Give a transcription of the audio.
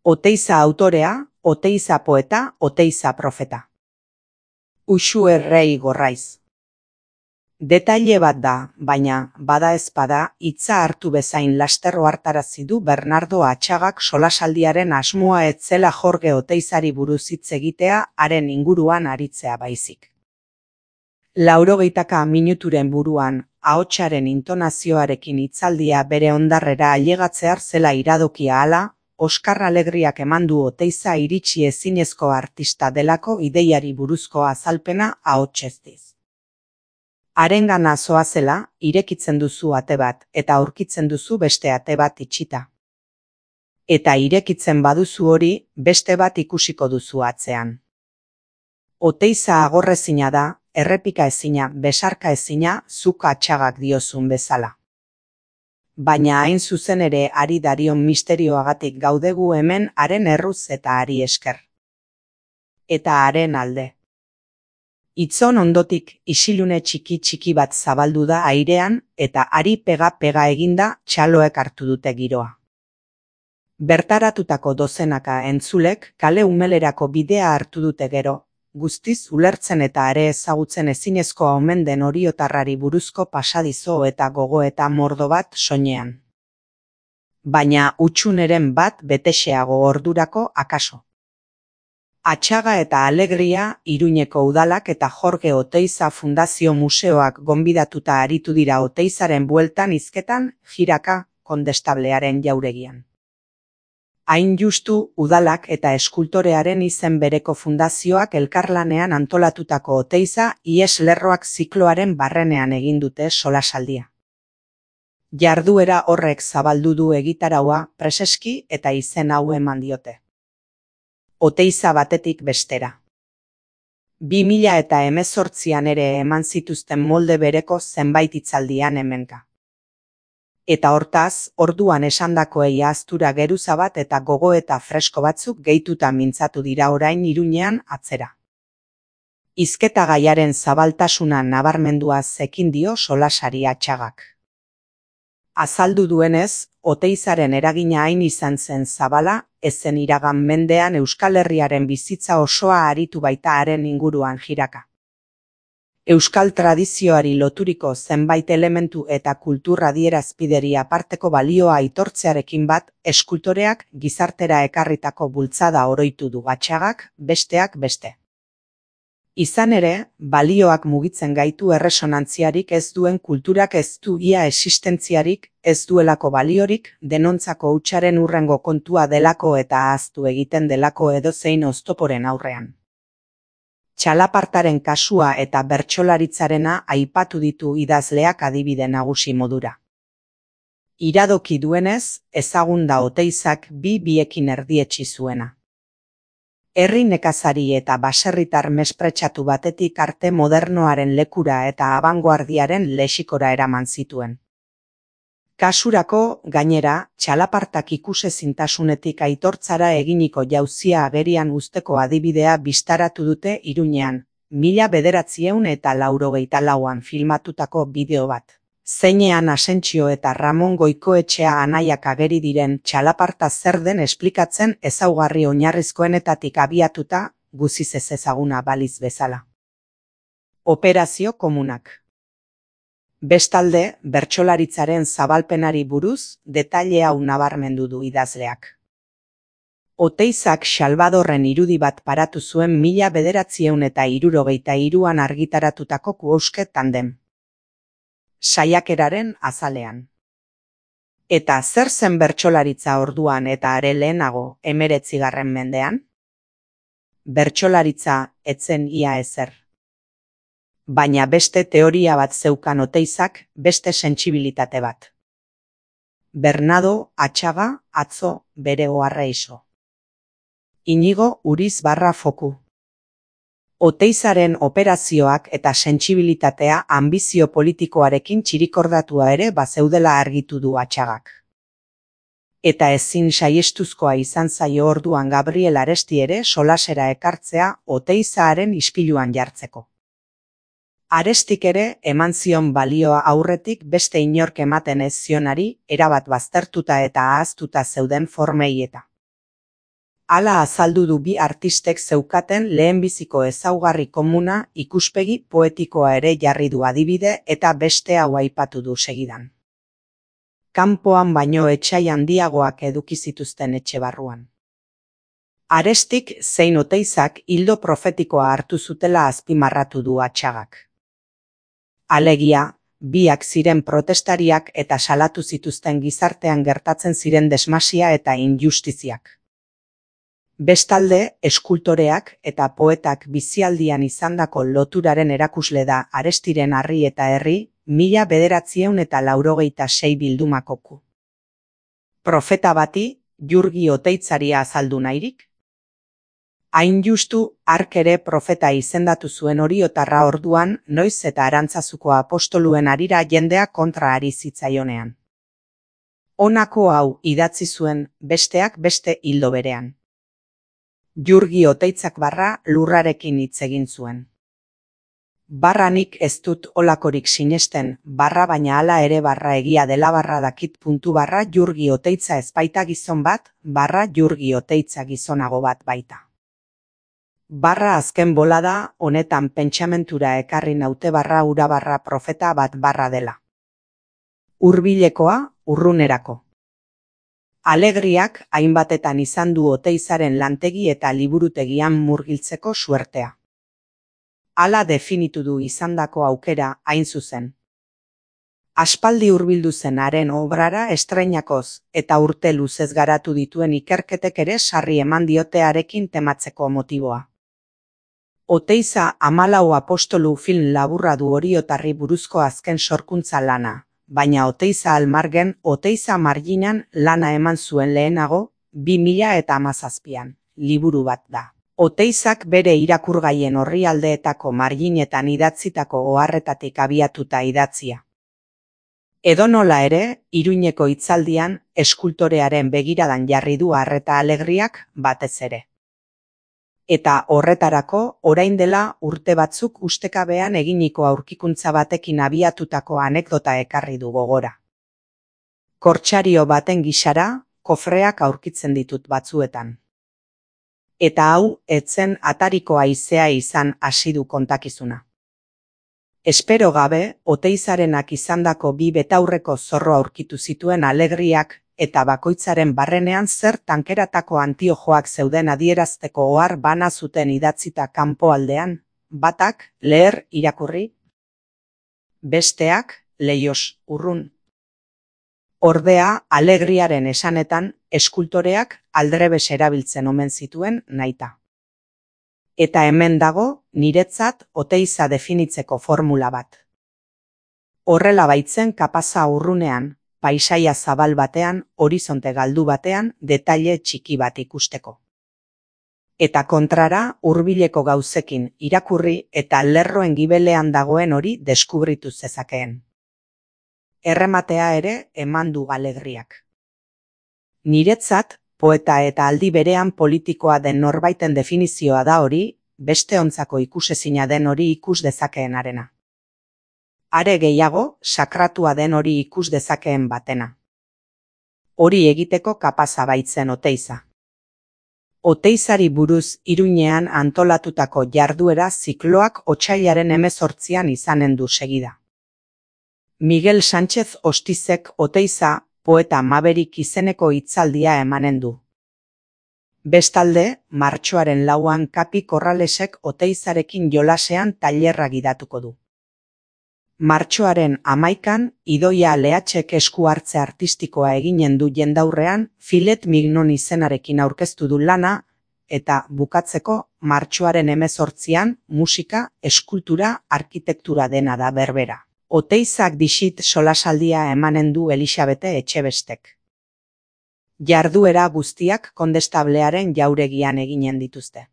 Oteiza autorea, Oteiza poeta, Oteiza profeta. Uxu Errei Gorraiz. Detaile bat da, baina, bada ezpada, hitza hartu bezain laster ohartarazi du Bernardo Atxagak solasaldiaren asmoa ez zela Jorge Oteizari buruz hitz egitea haren inguruan aritzea baizik. 80 minuturen buruan, ahotsaren intonazioarekin hitzaldia bere hondarrera ailegatzear zela iradokia hala, Oskar Alegriak eman du Oteiza iritsi ezinezko artista delako ideiari buruzko azalpena ahotseztiz. Harengana zoazela, irekitzen duzu ate bat, eta aurkitzen duzu beste ate bat itxita. Eta irekitzen baduzu hori, beste bat ikusiko duzu atzean. Oteiza agorrezina da, errepika ezina, besarka ezina, zuk Atxagak diozun bezala. Baina hain zuzen ere ari darion misterioagatik gaudegu hemen haren erruz eta hari esker. Eta haren alde. Itzon ondotik isilune txiki bat zabaldu da airean eta hari pega eginda txaloek hartu dute giroa. Bertaratutako dozenaka entzulek kale umelerako bidea hartu dute gero, guztiz ulertzen eta ere ezagutzen ezinezkoa omen den oriotarrari buruzko pasadizo eta gogoeta mordo bat soinean. Baina hutsuneren bat betexeago ordurako akaso. Atxaga eta Alegria, Iruñeko udalak eta Jorge Oteiza Fundazio Museoak gonbidatuta aritu dira Oteizaren bueltan hizketan, jiraka, kondestablearen jauregian. Hain justu, udalak eta eskultorearen izen bereko fundazioak elkarlanean antolatutako Oteiza ihes-lerroak zikloaren barrenean egin dute solasaldia. Jarduera horrek zabaldu du egitaraua preseski eta izen hau eman diote. Oteiza batetik bestera. 2018an ere eman zituzten molde bereko zenbait hitzaldian hemenka. Eta hortaz, orduan esandakoei ahaztura geruza bat eta gogoeta fresko batzuk gehituta mintzatu dira orain Iruñean atzera. Hizketa gaiaren zabaltasuna nabarmendua zekin dio solasari Atxagak. Azaldu duenez, Oteizaren eragina hain izan zen zabala, ezen iragan mendean Euskal Herriaren bizitza osoa aritu baita haren inguruan jiraka. Euskal tradizioari loturiko zenbait elementu eta kultura adierazpideri aparteko balioa aitortzearekin bat, eskultoreak gizartera ekarritako bultzada oroitu du Atxagak, besteak beste. Izan ere, balioak mugitzen gaitu erresonantziarik ez duen kulturak ez du ia existentziarik, ez duelako baliorik, denontzako hutsaren hurrengo kontua delako eta ahaztu egiten delako edozein oztoporen aurrean. Txalapartaren kasua eta bertsolaritzarena aipatu ditu idazleak adibide nagusi modura. Iradoki duenez, ezagun da Oteizak biekin erdietsi zuena. Herri nekazari eta baserritar mespretsatu batetik arte modernoaren lekura eta abangoardiaren lexikora eraman zituen. Kasurako, gainera, txalapartak ikusezintasunetik aitortzara eginiko jauzia agerian uzteko adibidea bistaratu dute Iruñean, 1984an filmatutako bideo bat. Zeinean Asentzio eta Ramon Goikoetxea anaiak ageri diren txalaparta zer den esplikatzen ezaugarri oinarrizkoenetatik abiatuta, guziz ez ezaguna baliz bezala. Operazio komunak. Bestalde, bertsolaritzaren zabalpenari buruz, detaile hau nabarmendu du idazleak. Oteizak Salvadorren irudi bat paratu zuen 1973an argitaratutako Kuoske tandem. Saiakeraren azalean. Eta zer zen bertsolaritza orduan eta are lehenago 19. mendean? Bertsolaritza etzen ia ezer. Baina beste teoria bat zeukan Oteizak, beste sentsibilitate bat. Bernardo Atxaga atzo bere oharra iso. Inigo Uriz Foku. Oteizaren operazioak eta sentsibilitatea anbizio politikoarekin txirikordatua ere bazeudela argitu du Atxagak. Eta ezin saihestuzkoa izan zaio orduan Gabriel Aresti ere solasera ekartzea Oteizaren ispiluan jartzeko. Arestik ere eman zion balioa aurretik beste inork ematen ez zionari erabat baztertuta eta ahaztuta zeuden formei eta. Hala azaldu du bi artistek zeukaten lehenbiziko ezaugarri komuna ikuspegi poetikoa ere jarri du adibide eta beste hau aipatu du segidan. Kanpoan baino etsai handiagoak eduki zituzten etxe barruan. Arestik zein Oteizak ildo profetikoa hartu zutela azpimarratu du Atxagak. Alegia, biak ziren protestariak eta salatu zituzten gizartean gertatzen ziren desmasia eta injustiziak. Bestalde, eskultoreak eta poetak bizialdian izandako loturaren erakusle da Arestiren Harri eta Herri 1986 bildumakoku. Profeta bati, Jurgi Oteitzari azaldu nahirik? Hain justu, hark ere profeta izendatu zuen Oriotarra orduan, noiz eta Arantzazuko apostoluen harira jendea kontra ari zitzaionean. Honako hau idatzi zuen besteak beste ildo berean. Jurgi Oteitzak barra lurrarekin hitz egin zuen. Barra nik ez dut olakorik sinesten, barra baina hala ere barra egia dela barra dakit puntu barra Jurgi Oteitza ez baita gizon bat, barra Jurgi Oteitza gizonago bat baita. Barra azken bolada honetan pentsamentura ekarri naute barra ura barra profeta bat barra dela. Hurbilekoa, urrunerako. Alegriak hainbatetan izan du Oteizaren lantegi eta liburutegian murgiltzeko suertea. Hala definitu du izandako aukera hain zuzen. Aspaldi hurbildu zen haren obrara estreinakoz eta urte luzez garatu dituen ikerketek ere sarri eman diote harekin tematzeko motiboa. Oteiza 14 apostolu film laburra du Oriotarri buruzko azken sorkuntza lana, baina Oteiza almargen Oteiza marginan lana eman zuen lehenago 2017an, liburu bat da. Oteizak bere irakurgaien orrialdeetako marginetan idatzitako oharretatik abiatuta idatzia. Edonola ere, Iruñeko hitzaldian eskultorearen begiradan jarri du arreta Alegriak batez ere. Eta horretarako, orain dela urte batzuk ustekabean eginiko aurkikuntza batekin abiatutako anekdota ekarri du gogora. Kortsario baten gisara, kofreak aurkitzen ditut batzuetan. Eta hau, etzen atariko haizea izan hasi du kontakizuna. Espero gabe, Oteizarenak izandako bi betaurreko zorro aurkitu zituen Alegriak eta bakoitzaren barrenean zer tankeratako antiojoak zeuden adierazteko ohar bana zuten idatzita kanpoaldean, batak, leher irakurri, besteak, leihoz urrun. Ordea, Alegriaren esanetan, eskultoreak aldrebes erabiltzen omen zituen nahita. Eta hemen dago, niretzat Oteiza definitzeko formula bat. Horrela baitzen kapaza urrunean, paisaia zabal batean, horizonte galdu batean, detaile txiki bat ikusteko. Eta kontrara, hurbileko gauzekin irakurri eta lerroen gibelean dagoen hori deskubritu zezakeen. Errematea ere eman du Alegriak. Niretzat, poeta eta aldi berean politikoa den norbaiten definizioa da hori, beste ontzako ikusezina den hori ikus dezakeenarena. Are gehiago, sakratua den hori ikus dezakeen batena. Hori egiteko kapaza baitzen Oteiza. Oteizari buruz Iruñean antolatutako jarduera zikloak otsailaren 18an izanen du segida. Miguel Sánchez Ostizek Oteiza poeta Maberik izeneko hitzaldia emanen du. Bestalde, martxoaren 4an Kapi Corralesek Oteizarekin jolasean tailerra gidatuko du. Martxoaren 11an Idoia Lehatxek esku hartze artistikoa eginen du jendaurrean Filet Mignon izenarekin aurkeztu du lana, eta bukatzeko martxoaren 18an musika, eskultura, arkitektura dena da berbera. Oteizak dixit solasaldia emanen du Elixabete Etxebestek. Jarduera guztiak Kondestablearen jauregian eginen dituzte.